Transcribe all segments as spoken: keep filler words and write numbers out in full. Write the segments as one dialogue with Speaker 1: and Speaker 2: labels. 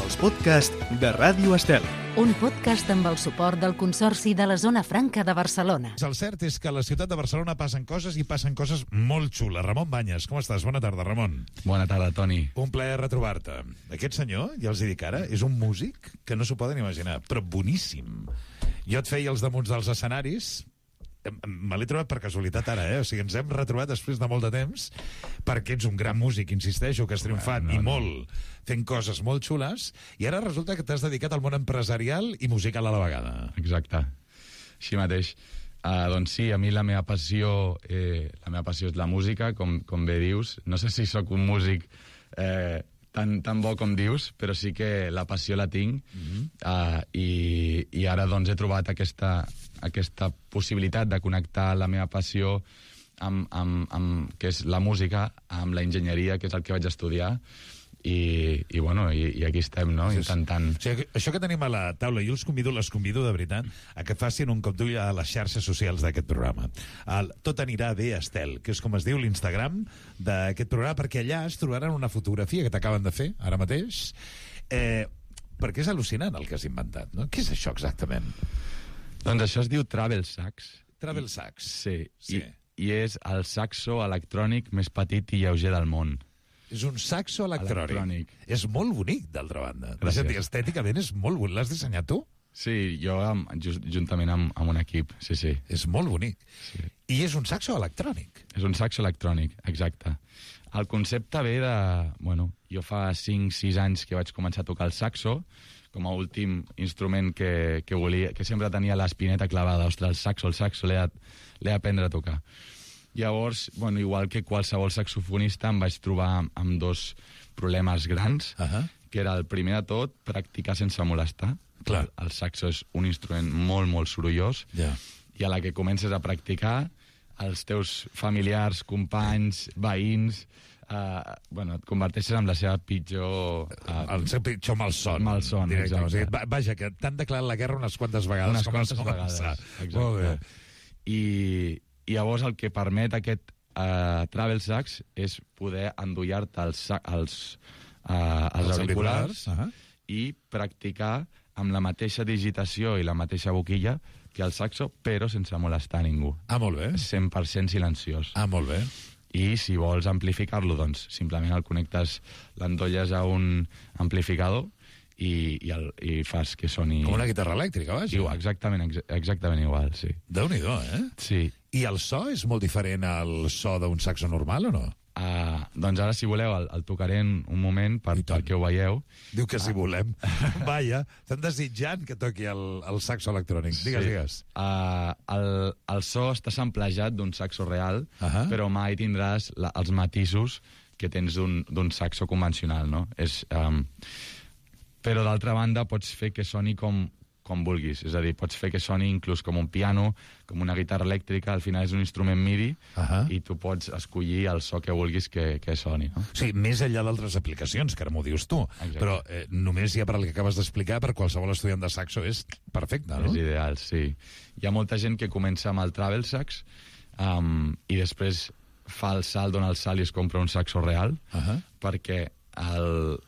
Speaker 1: Els podcasts de Ràdio Estel.
Speaker 2: Un podcast amb el suport del Consorci de la Zona Franca de Barcelona.
Speaker 3: El cert és que a la ciutat de Barcelona passen coses i passen coses molt xules. Ramon Banyes, com estàs? Bona tarda, Ramon.
Speaker 4: Bona tarda, Toni.
Speaker 3: Un plaer retrobar-te. Aquest senyor, ja els hi dic ara, és un músic que no s'ho poden imaginar, però boníssim. Jo et feia els damunt dels escenaris... Me l'he trobat per casualitat ara, eh? O sigui, ens hem retrobat després de molt de temps, perquè ets un gran músic, insisteixo, que has triomfat, no, no, i molt, fent coses molt xules, i ara resulta que t'has dedicat al món empresarial i musical a la vegada.
Speaker 4: Exacte, així mateix. Uh, doncs sí, a mi la meva passió, eh, la meva passió és la música, com, com bé dius. No sé si sóc un músic eh, tan, tan bo com dius, però sí que la passió la tinc, mm-hmm. uh, i, i ara doncs he trobat aquesta... aquesta possibilitat de connectar la meva passió amb, amb, amb, que és la música, amb la enginyeria, que és el que vaig estudiar, i, i bueno, i, i aquí estem, no?, intentant...
Speaker 3: O sigui, això que tenim a la taula, jo els convido, les convido de veritat a que facin un cop d'ull a les xarxes socials d'aquest programa. El Tot anirà bé, Estel, que és com es diu l'Instagram d'aquest programa, perquè allà es trobaran una fotografia que t'acaben de fer, ara mateix, eh, perquè és al·lucinant el que has inventat, no? Què és això exactament?
Speaker 4: Doncs això es diu Travel Sax.
Speaker 3: Travel Sax.
Speaker 4: Sí,
Speaker 3: sí.
Speaker 4: I, i és el saxo electrònic més petit i lleuger del món.
Speaker 3: És un saxo electrònic. electrònic. És molt bonic, d'altra banda.
Speaker 4: Gràcies.
Speaker 3: Dir, estèticament és molt bonic. L'has dissenyat tu?
Speaker 4: Sí, jo amb, just, juntament amb, amb un equip, sí, sí.
Speaker 3: És molt bonic.
Speaker 4: Sí.
Speaker 3: I és un saxo electrònic.
Speaker 4: És un saxo electrònic, exacte. El concepte ve de... Bueno, jo fa cinc sis anys que vaig començar a tocar el saxo, com a últim instrument que, que volia, que sempre tenia l'espineta clavada. Ostres, el saxo, el saxo, l'he d'aprendre a tocar. Llavors, bueno, igual que qualsevol saxofonista, em vaig trobar amb, amb dos problemes grans,
Speaker 3: uh-huh.
Speaker 4: que era el primer de tot, practicar sense molestar.
Speaker 3: Clar.
Speaker 4: El, el saxo és un instrument molt, molt sorollós,
Speaker 3: yeah.
Speaker 4: i a la que comences a practicar, els teus familiars, companys, veïns... Uh, bueno, et converteixes en la seva pitjor... Uh,
Speaker 3: el seu pitjor malson.
Speaker 4: Malson, exacte.
Speaker 3: O sigui, vaja, que t'han declarat la guerra unes quantes vegades.
Speaker 4: Unes quantes vegades, exacte. Molt bé. I, I llavors el que permet aquest uh, Travel Sax és poder endollar-te els, els, uh, els, els auriculars, auriculars uh-huh. i practicar amb la mateixa digitació i la mateixa boquilla que el saxo, però sense molestar ningú.
Speaker 3: Ah, molt bé.
Speaker 4: cent per cent silenciós.
Speaker 3: Ah, molt bé.
Speaker 4: I si vols amplificar-lo, doncs simplement el connectes, l'endolles a un amplificador i, i, el, i fas que soni...
Speaker 3: Com una guitarra elèctrica, vaja.
Speaker 4: Igual, exactament, ex exactament igual, sí.
Speaker 3: Déu-n'hi-do, eh?
Speaker 4: Sí.
Speaker 3: I el so és molt diferent al so d'un saxo normal o no?
Speaker 4: Uh, doncs ara, si voleu, el, el tocaré en un moment per, perquè ho veieu.
Speaker 3: Diu que si volem. Vaja, estan desitjant que toqui el, el saxo electrònic. Digues,
Speaker 4: sí.
Speaker 3: digues.
Speaker 4: Uh, el, el so està samplejat d'un saxo real,
Speaker 3: uh-huh.
Speaker 4: però mai tindràs la, els matisos que tens d'un saxo convencional, no? És, um, però, d'altra banda, pots fer que soni com... com vulguis, és a dir, pots fer que soni inclús com un piano, com una guitarra elèctrica, al final és un instrument MIDI, uh-huh. i tu pots escollir el so que vulguis que, que soni, no?
Speaker 3: Sí, més enllà d'altres aplicacions, que ara m'ho dius tu, exacte. Però eh, només ja per el que acabes d'explicar, per qualsevol estudiant de saxo és perfecte, no?
Speaker 4: És ideal, sí. Hi ha molta gent que comença amb el Travel Sax um, i després fa el salt, dona el salt i es compra un saxo real, uh-huh. perquè el,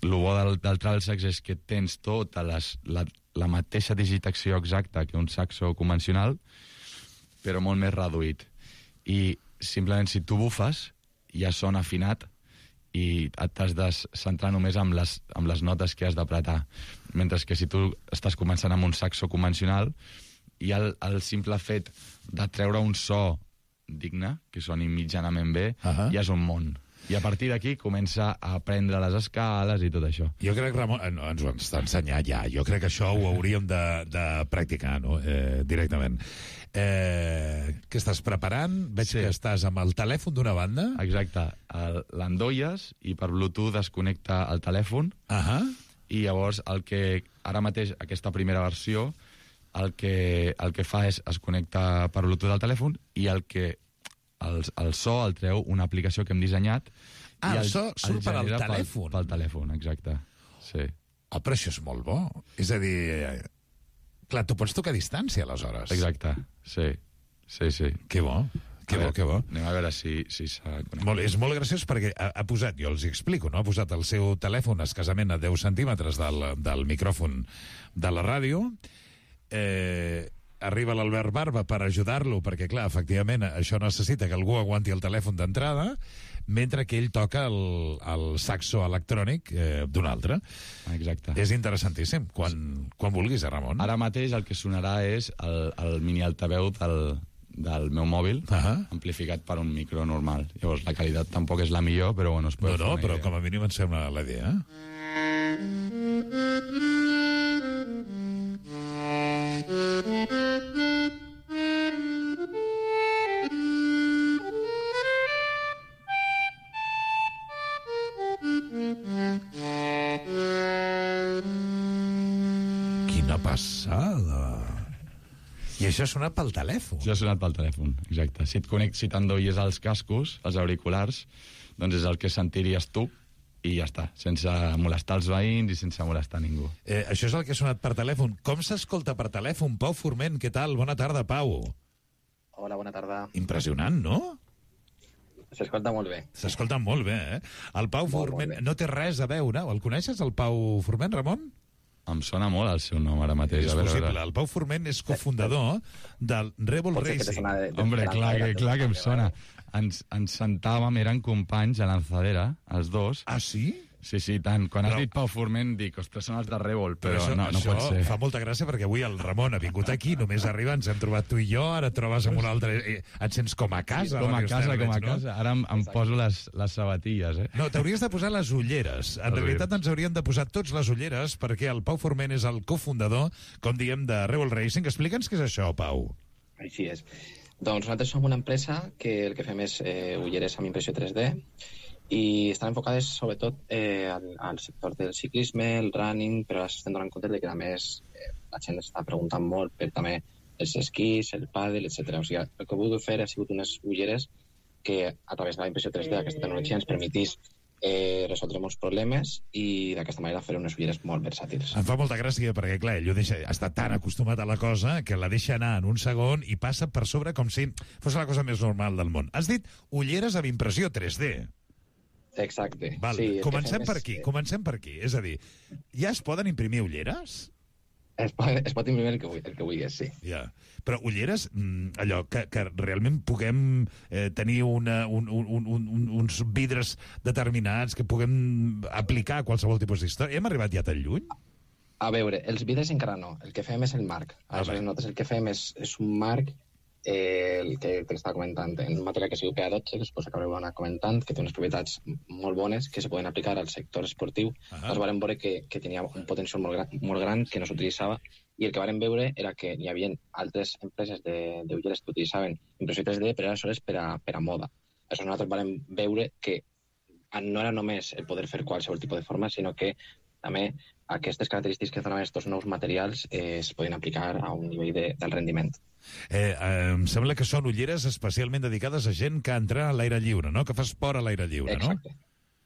Speaker 4: el bo del, del Travel Sax és que tens tota les, la, la mateixa digitació exacta que un saxo convencional, però molt més reduït. I simplement si tu bufes, ja sona afinat i t'has de centrar només amb les, amb les notes que has d'apretar. Mentre que si tu estàs començant amb un saxo convencional, i el, el simple fet de treure un so digne, que soni mitjanament bé, uh-huh. ja és un món. I a partir d'aquí comença a aprendre les escales i tot això.
Speaker 3: Jo crec, Ramon, no, ens ho està ensenyant ja, jo crec que això ho hauríem de, de practicar, no?, eh, directament. Eh, què estàs preparant? Veig sí. que estàs amb el telèfon d'una banda.
Speaker 4: Exacte. L'endolles i per Bluetooth es connecta al telèfon,
Speaker 3: uh-huh.
Speaker 4: i llavors el que ara mateix, aquesta primera versió, el que, el que fa és es connecta per Bluetooth al telèfon i el que El, el so el treu una aplicació que hem dissenyat.
Speaker 3: Ah,
Speaker 4: i el,
Speaker 3: el so surt per al telèfon.
Speaker 4: Pel, pel telèfon, exacte. Sí.
Speaker 3: Oh, però això és molt bo. És a dir, clar, tu pots tocar a distància, aleshores.
Speaker 4: Exacte, sí. Sí, sí.
Speaker 3: Que bo. Que bo, que bo.
Speaker 4: Anem a veure si, si s'ha connectat.
Speaker 3: Molt, és molt graciós perquè ha, ha posat, jo els explico, no? Ha posat el seu telèfon escasament a deu centímetres del, del micròfon de la ràdio. Eh, arriba l'Albert Barba per ajudar-lo, perquè, clar, efectivament, això necessita que algú aguanti el telèfon d'entrada, mentre que ell toca el, el saxo electrònic eh, d'un altre.
Speaker 4: Exacte.
Speaker 3: És interessantíssim. Quan, quan vulguis, eh, Ramon?
Speaker 4: Ara mateix el que sonarà és el, el mini altaveu del, del meu mòbil,
Speaker 3: uh-huh.
Speaker 4: amplificat per un micro normal. Llavors, la qualitat tampoc és la millor, però bueno, es pot
Speaker 3: No, no,
Speaker 4: fer una
Speaker 3: però
Speaker 4: idea.
Speaker 3: com a mínim em sembla la idea. Quina passada! I això ha sonat pel telèfon.
Speaker 4: Això ha sonat pel telèfon, exacte. Si et connect, si t'endoies els cascos, els auriculars, doncs és el que sentiries tu i ja està, sense molestar els veïns i sense molestar ningú.
Speaker 3: Eh, això és el que ha sonat per telèfon. Com s'escolta per telèfon? Pau Forment, què tal? Bona tarda, Pau.
Speaker 5: Hola, bona tarda.
Speaker 3: Impressionant, no?
Speaker 5: S'escolta molt bé.
Speaker 3: S'escolta molt bé, eh? El Pau
Speaker 5: Molt,
Speaker 3: Forment
Speaker 5: molt bé.
Speaker 3: no té res a veure. El coneixes, el Pau Forment, Ramon?
Speaker 4: Em sona molt el seu nom ara mateix.
Speaker 3: És
Speaker 4: a veure, a
Speaker 3: possible.
Speaker 4: veure.
Speaker 3: El Pau Forment és cofundador del Rebel
Speaker 5: Pot ser que te
Speaker 3: Racing.
Speaker 5: sona de- de
Speaker 4: Hombre,
Speaker 5: Esperanza,
Speaker 4: clar
Speaker 5: era
Speaker 4: que,
Speaker 5: tu,
Speaker 4: clar que em
Speaker 5: vale,
Speaker 4: sona.
Speaker 5: vale.
Speaker 4: Ens, ens sentàvem, eren companys a Lanzadera, els dos.
Speaker 3: Ah, sí?
Speaker 4: Sí, sí, tant. Quan has
Speaker 3: Però-
Speaker 4: dit Pau Forment, dic, ostres, són els de Rèvol, però,
Speaker 3: això,
Speaker 4: no, no
Speaker 3: això
Speaker 4: pot ser.
Speaker 3: fa molta gràcia perquè avui el Ramon ha vingut aquí, només arriba, ens hem trobat tu i jo, ara et trobes amb un altre... Eh, et sents com a casa.
Speaker 4: Com a
Speaker 3: Ràdio
Speaker 4: casa,
Speaker 3: Estel,
Speaker 4: com a
Speaker 3: veig, no?
Speaker 4: casa. Ara em, em poso les, les sabatilles, eh?
Speaker 3: No, t'hauries de posar les ulleres. En
Speaker 4: Les
Speaker 3: realitat
Speaker 4: ulleres.
Speaker 3: ens hauríem de posar tots les ulleres perquè el Pau Forment és el cofundador, com diem, de Rebel Racing. Explica'ns què és això, Pau.
Speaker 5: Així és. Doncs nosaltres som una empresa que el que fem és eh, ulleres amb impressió tres D i estan enfocades sobretot eh, al, al sector del ciclisme, el running, però ara s'estem donant compte de que a més eh, la gent està preguntant molt per també els esquís, el pàdel, etcètera. O sigui, el que he volgut fer ha sigut unes ulleres que a través de la impressió tres D aquesta tecnologia ens permetís eh, resoldre molts problemes i d'aquesta manera fer unes ulleres molt versàtils.
Speaker 3: Em fa molta gràcia perquè, clar, ell ho deixa, està tan acostumat a la cosa que la deixa anar en un segon i passa per sobre com si fos la cosa més normal del món. Has dit ulleres amb impressió tres D.
Speaker 5: Exacte.
Speaker 3: Val.
Speaker 5: Sí, el que
Speaker 3: Comencem
Speaker 5: fem
Speaker 3: per
Speaker 5: és,
Speaker 3: aquí,
Speaker 5: eh,
Speaker 3: comencem per aquí. És a dir, ja es poden imprimir ulleres?
Speaker 5: Es pot, es pot imprimir el que, vulgui- el que vulguis, sí.
Speaker 3: Ja. Però ulleres, mm, allò, que, que realment puguem eh, tenir una, un, un, un, un, uns vidres determinats que puguem aplicar a qualsevol tipus d'història. Hem arribat ja tan lluny?
Speaker 5: A veure, els vidres encara no. El que fem és el marc.
Speaker 3: Ah,
Speaker 5: Aleshores,
Speaker 3: bé.
Speaker 5: nosaltres el que fem és, és un marc, eh, el que t'estava comentant, en un material que es diu P A dotze, que suposo que haureu anat comentant, que té unes propietats molt bones que se poden aplicar al sector esportiu.
Speaker 3: Ah.
Speaker 5: Nosaltres vam veure que, que tenia un potencial molt gran, molt gran que no s'utilitzava i el que vam veure era que hi havia altres empreses de, de ulleres que utilitzaven impressió tres D, però aleshores per a, per a moda. Aleshores nosaltres vam veure que no era només el poder fer qualsevol tipus de forma, sinó que també aquestes característiques que donen aquests nous materials eh, es poden aplicar a un nivell de, del rendiment.
Speaker 3: Eh, eh, em sembla que són ulleres especialment dedicades a gent que entra a l'aire lliure, no? Que fa esport a l'aire lliure,
Speaker 5: Exacte.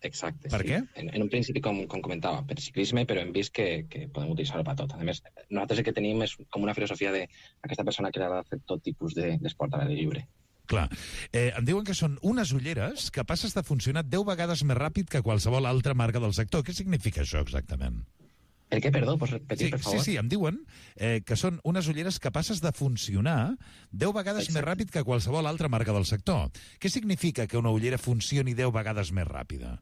Speaker 5: Exacte.
Speaker 3: Per
Speaker 5: sí.
Speaker 3: què?
Speaker 5: En, en un principi, com, com comentava, per ciclisme, però hem vist que, que podem utilitzar-ho per tot. A més, nosaltres el que tenim és com una filosofia d'aquesta persona que li agrada fer tot tipus de- d'esport a l'aire lliure.
Speaker 3: Clar. Eh, em diuen que són unes ulleres capaces de funcionar deu vegades més ràpid que qualsevol altra marca del sector. Què significa això exactament?
Speaker 5: El què, perdó? Pots repetir,
Speaker 3: Sí,
Speaker 5: per
Speaker 3: sí,
Speaker 5: favor?
Speaker 3: sí, em diuen eh, que són unes ulleres capaces de funcionar deu vegades
Speaker 5: Exacte.
Speaker 3: més ràpid que qualsevol altra marca del sector. Què significa que una ullera funcioni deu vegades més ràpida?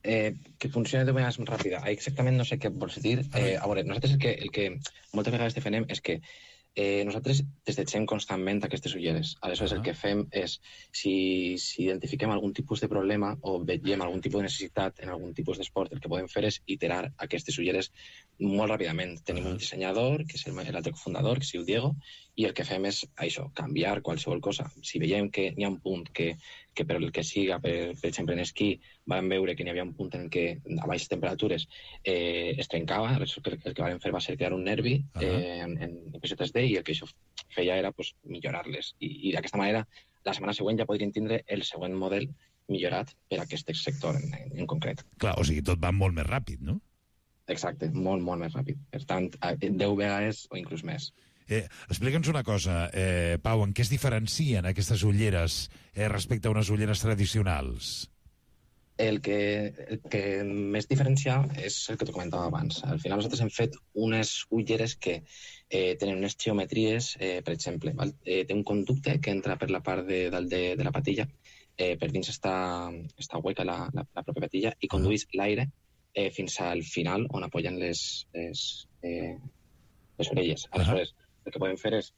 Speaker 5: Eh, que funcioni de manera més ràpida. Exactament no sé què vols dir. Eh, a veure, nosaltres el que, el que moltes vegades defenem és que eh, nosaltres desitgem constantment aquestes ulleres. Aleshores,
Speaker 3: Ah.
Speaker 5: el que fem és, si, si identifiquem algun tipus de problema o veiem algun tipus de necessitat en algun tipus d'esport, el que podem fer és iterar aquestes ulleres molt ràpidament. Tenim
Speaker 3: Ah.
Speaker 5: un dissenyador, que és el- l'altre cofundador, que es diu Diego, i el que fem és això, canviar qualsevol cosa. Si veiem que n'hi ha un punt que, que per el que siga, per, per exemple en esquí, vam veure que n'hi havia un punt en què a baixes temperatures eh, es trencava, aleshores el, el que vam fer va ser crear un nervi
Speaker 3: Ah.
Speaker 5: eh, en, en impressió tres D i el que això feia era pues, millorar-les. I, i d'aquesta manera, la setmana següent ja podrien tindre el següent model millorat per a aquest sector en, en, en concret.
Speaker 3: Clar, o sigui, tot va molt més ràpid, no?
Speaker 5: Exacte, molt, molt més ràpid. Per tant, a- deu vegades o inclús més.
Speaker 3: Eh, Explica'ns una cosa, eh, Pau, en què es diferencien aquestes ulleres eh, respecte a unes ulleres tradicionals?
Speaker 5: El que, el que més diferencia és el que t'ho comentava abans. Al final nosaltres hem fet unes ulleres que eh, tenen unes geometries, eh, per exemple, val? Eh, té un conducte que entra per la part de dalt de, de la patilla, eh, per dins està, està hueca la, la, la pròpia patilla i conduís l'aire eh, fins al final on apoyen les, les, eh, les orelles. Aleshores, el que podem fer és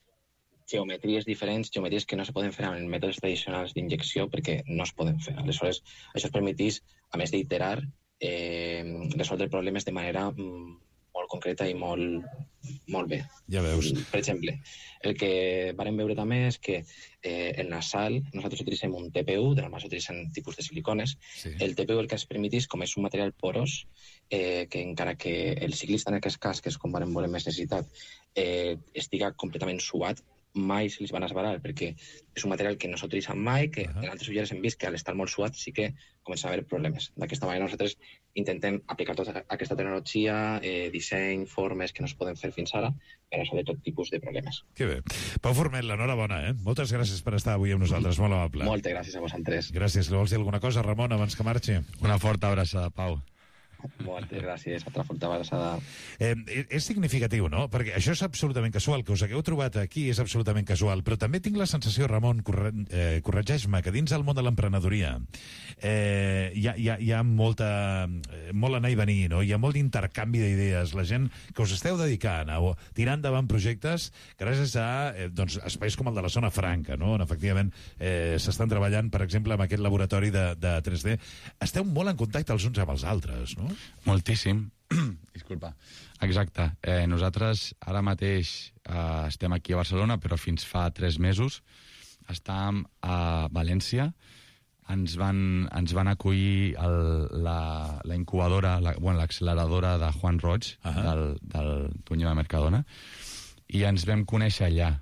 Speaker 5: geometries diferents, geometries que no se poden fer amb mètodes tradicionals d'injecció perquè no es poden fer. Aleshores, això es permetís, a més d'iterar, eh, resoldre problemes de manera mm, molt concreta i molt, molt bé.
Speaker 3: Ja veus.
Speaker 5: Per exemple, el que vàrem veure també és que eh, el nasal, nosaltres utilitzem un T P U, de normal s'utilitzen tipus de silicones. Sí. El T P U el que es permetís, com és un material porós, eh, que encara que el ciclista en aquest cas, que és com vàrem veure més necessitat, eh, estiga completament suat, mai se li van esbarar, perquè és un material que no s'utilitza mai, que uh -huh. en altres ulleres hem vist que al estar molt suat sí que comencen a haver problemes. D'aquesta manera nosaltres intentem aplicar tota aquesta tecnologia, eh, disseny, formes que no es poden fer fins ara, per resoldre tot tipus de problemes.
Speaker 3: Que bé. Pau Forment, l'enhorabona, eh? Moltes gràcies per estar avui amb nosaltres, molt amable.
Speaker 5: Moltes gràcies a vosaltres.
Speaker 3: Gràcies. Li vols dir alguna cosa, Ramon, abans que marxi?
Speaker 4: Una forta abraçada, Pau.
Speaker 5: Moltes gràcies, altra forta abraçada.
Speaker 3: Eh, és significatiu, no? Perquè això és absolutament casual, que us hagueu trobat aquí és absolutament casual, però també tinc la sensació, Ramon, corre, eh, corregeix-me, que dins del món de l'emprenedoria eh, hi, ha, hi, ha, hi ha molta, eh, molt anar i venir, no? Hi ha molt d'intercanvi d'idees. La gent que us esteu dedicant a tirar endavant projectes gràcies a eh, doncs, espais com el de la Zona Franca, no? On efectivament eh, s'estan treballant, per exemple, amb aquest laboratori de, de tres D. Esteu molt en contacte els uns amb els altres, no?
Speaker 4: Moltíssim. Disculpa. Exacte. Eh, nosaltres ara mateix eh, estem aquí a Barcelona, però fins fa tres mesos estàvem a València. Ens van, ens van acollir el, la, la incubadora, la, bueno, l'acceleradora de Juan Roig, uh -huh. del, del Tuño de Mercadona, i ens vam conèixer allà.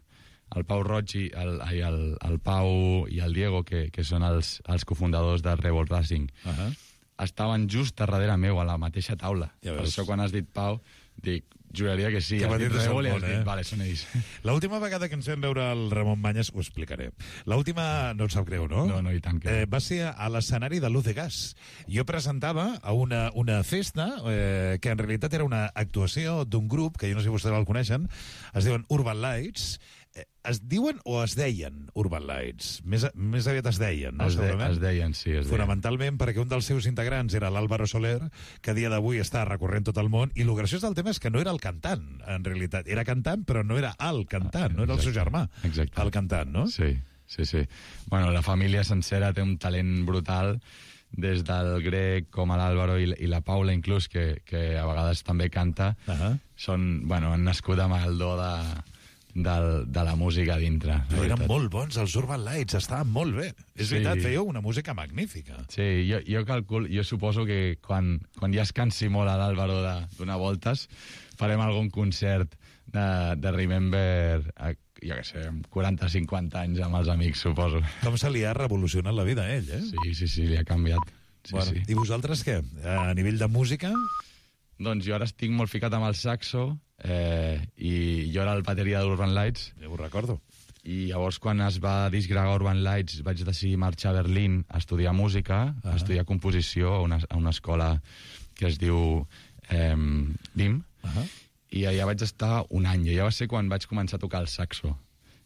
Speaker 4: El Pau Roig i el, i el, el Pau i el Diego, que, que són els, els cofundadors de Rebel Racing, uh -huh. estaven just darrere meu, a la mateixa taula. Ja per això, quan has dit Pau, dic, juraria que sí.
Speaker 3: Que
Speaker 4: has dit Rebel i has dit,
Speaker 3: eh?
Speaker 4: vale, són ells.
Speaker 3: L'última vegada que ens vam veure el Ramon Banyes, ho explicaré. L'última, no et sap greu, no?
Speaker 4: No, no, i tant que...
Speaker 3: Eh, va ser a l'escenari de Luz de Gas. Jo presentava a una, una festa eh, que en realitat era una actuació d'un grup, que jo no sé si vostès el coneixen, es diuen Urban Lights. Eh, es diuen o es deien Urban Lights? Més, més aviat es deien, no?
Speaker 4: Es, de, es deien, sí, es deien.
Speaker 3: Fonamentalment perquè un dels seus integrants era l'Álvaro Soler, que a dia d'avui està recorrent tot el món, i el graciós del tema és que no era el cantant, en realitat. Era cantant, però no era el cantant, no era el seu germà,
Speaker 4: exacte.
Speaker 3: El cantant, no?
Speaker 4: Sí, sí, sí. Bueno, la família sencera té un talent brutal, des del Greg com a l'Àlvaro i, i la Paula, inclús, que, que a vegades també canta. Uh -huh. Són, bueno, han nascut amb el do de... Del, de la música dintre.
Speaker 3: No, eren molt bons els Urban Lights, estaven molt bé. És sí. veritat, fèieu una música magnífica.
Speaker 4: Sí, jo, jo calculo, jo suposo que quan, quan ja es cansi molt a l'Àlvaro de donar voltes, farem algun concert de, de Remember, a, jo què sé, quaranta cinquanta anys amb els amics, suposo.
Speaker 3: Com se li ha revolucionat la vida a ell, eh?
Speaker 4: Sí, sí, sí, li ha canviat. Sí,
Speaker 3: bueno,
Speaker 4: sí.
Speaker 3: I vosaltres què? A nivell de música?
Speaker 4: Doncs jo ara estic molt ficat amb el saxo, eh, i jo era el bateria d'Urban Lights.
Speaker 3: Ja ho recordo.
Speaker 4: I llavors, quan es va disgregar Urban Lights, vaig decidir marxar a Berlín a estudiar música, uh -huh. a estudiar composició a una, a una escola que es diu eh, B I M, uh -huh. i allà vaig estar un any, i allà va ser quan vaig començar a tocar el saxo.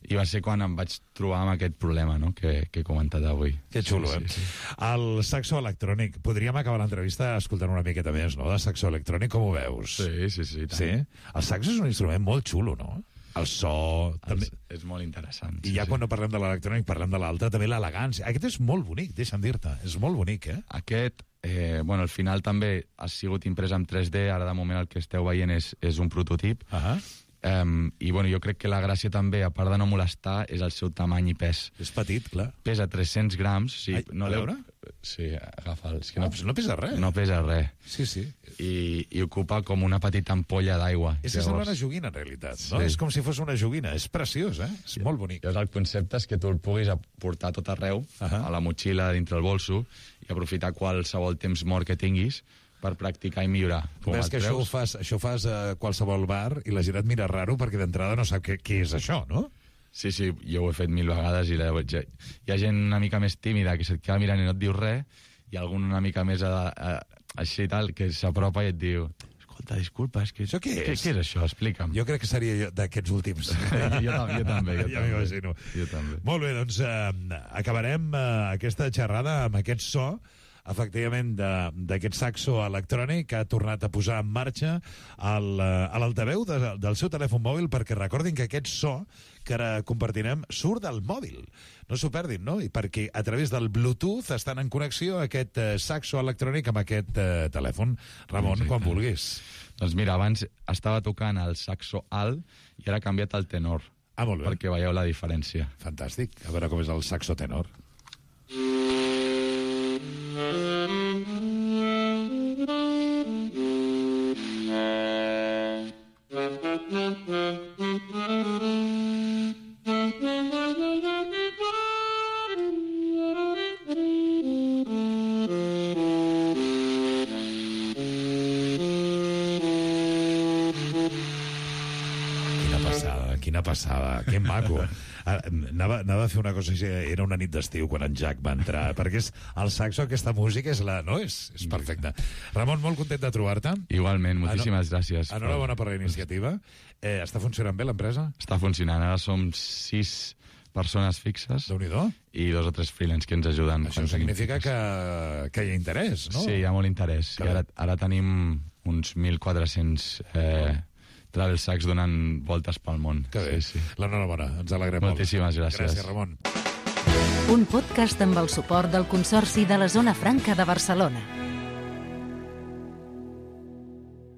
Speaker 4: I va ser quan em vaig trobar amb aquest problema, no?, que, que he comentat avui.
Speaker 3: Que xulo,
Speaker 4: sí,
Speaker 3: eh?
Speaker 4: Sí, sí.
Speaker 3: El saxo electrònic. Podríem acabar l'entrevista escoltant una miqueta més, no?, de saxo electrònic. Com ho veus?
Speaker 4: Sí, sí, sí.
Speaker 3: Sí? El saxo és un instrument molt xulo, no? El so...
Speaker 4: El,
Speaker 3: també...
Speaker 4: És molt interessant.
Speaker 3: I ja sí, quan no parlem de l'electrònic, parlem de l'altre, també l'elegància. Aquest és molt bonic, deixa'm dir-te. És molt bonic, eh?
Speaker 4: Aquest, eh, bueno, al final també ha sigut imprès en tres D. Ara, de moment, el que esteu veient és, és un prototip.
Speaker 3: Ahà. Uh -huh.
Speaker 4: Um, I bueno, jo crec que la gràcia també, a part de no molestar, és el seu tamany i pes.
Speaker 3: És petit, clar.
Speaker 4: Pesa tres-cents grams. Sí,
Speaker 3: Ai,
Speaker 4: no
Speaker 3: a veure?
Speaker 4: Sí, agafa'l. És que
Speaker 3: no,
Speaker 4: no,
Speaker 3: no pesa res.
Speaker 4: No pesa res.
Speaker 3: Sí, sí.
Speaker 4: I, i ocupa com una petita ampolla d'aigua.
Speaker 3: És Llavors... una joguina, en realitat. No?
Speaker 4: Sí.
Speaker 3: És com si fos una joguina. És preciós, eh? És molt bonic.
Speaker 4: Llavors, el concepte és que tu el puguis portar tot arreu, uh -huh. a la motxilla, dintre el bolso, i aprofitar qualsevol temps mort que tinguis per practicar i millorar. Com
Speaker 3: Ves
Speaker 4: el
Speaker 3: que això ho
Speaker 4: treus.
Speaker 3: fas, això ho fas a qualsevol bar i la gent et mira raro perquè d'entrada no sap què, què és això, no?
Speaker 4: Sí, sí, jo ho he fet mil vegades i la, ja, hi ha gent una mica més tímida que se't queda mirant i no et diu res, i algun una mica més a, a, així i tal, que s'apropa i et diu escolta, disculpa, és que...
Speaker 3: Això què és?
Speaker 4: Què, què és això? Explica'm.
Speaker 3: Jo crec que seria jo d'aquests últims.
Speaker 4: jo, jo, jo també, jo
Speaker 3: ja
Speaker 4: també.
Speaker 3: m'imagino.
Speaker 4: Jo també.
Speaker 3: Molt bé, doncs eh, acabarem eh, aquesta xerrada amb aquest so, efectivament, d'aquest saxo electrònic que ha tornat a posar en marxa el, eh, a l'altaveu de, del seu telèfon mòbil, perquè recordin que aquest so que ara compartirem surt del mòbil. No s'ho perdin, no? I perquè a través del Bluetooth estan en connexió aquest eh, saxo electrònic amb aquest eh, telèfon. Ramon,
Speaker 4: Exacte.
Speaker 3: quan vulguis.
Speaker 4: Doncs mira, abans estava tocant el saxo alt i ara ha canviat al tenor.
Speaker 3: Ah, molt bé.
Speaker 4: Perquè veieu la diferència.
Speaker 3: Fantàstic. A veure com és el saxo tenor. Quina passada, quina passada, que maco. Ah, Anava, anava a fer una cosa així, era una nit d'estiu quan en Jack va entrar, perquè és el saxo, aquesta música és la... No, és, és perfecta. Ramon, molt content de trobar-te.
Speaker 4: Igualment, moltíssimes gràcies.
Speaker 3: Enhorabona per la iniciativa. Eh, està funcionant bé l'empresa?
Speaker 4: Està funcionant. Ara som sis persones fixes
Speaker 3: Déu-n'hi-do.
Speaker 4: i dos o tres freelance que ens ajuden.
Speaker 3: Això
Speaker 4: quan tenim
Speaker 3: significa
Speaker 4: fixes.
Speaker 3: que, que hi ha interès, no?
Speaker 4: Sí, hi ha molt interès. I ara, ara tenim uns mil quatre-cents eh, travel sacs donant voltes pel món.
Speaker 3: Que bé.
Speaker 4: Sí, sí.
Speaker 3: L'enhorabona, ens alegrem molt.
Speaker 4: Moltíssimes gràcies.
Speaker 3: Gràcies, Ramon.
Speaker 2: Un podcast amb el suport del Consorci de la Zona Franca de Barcelona.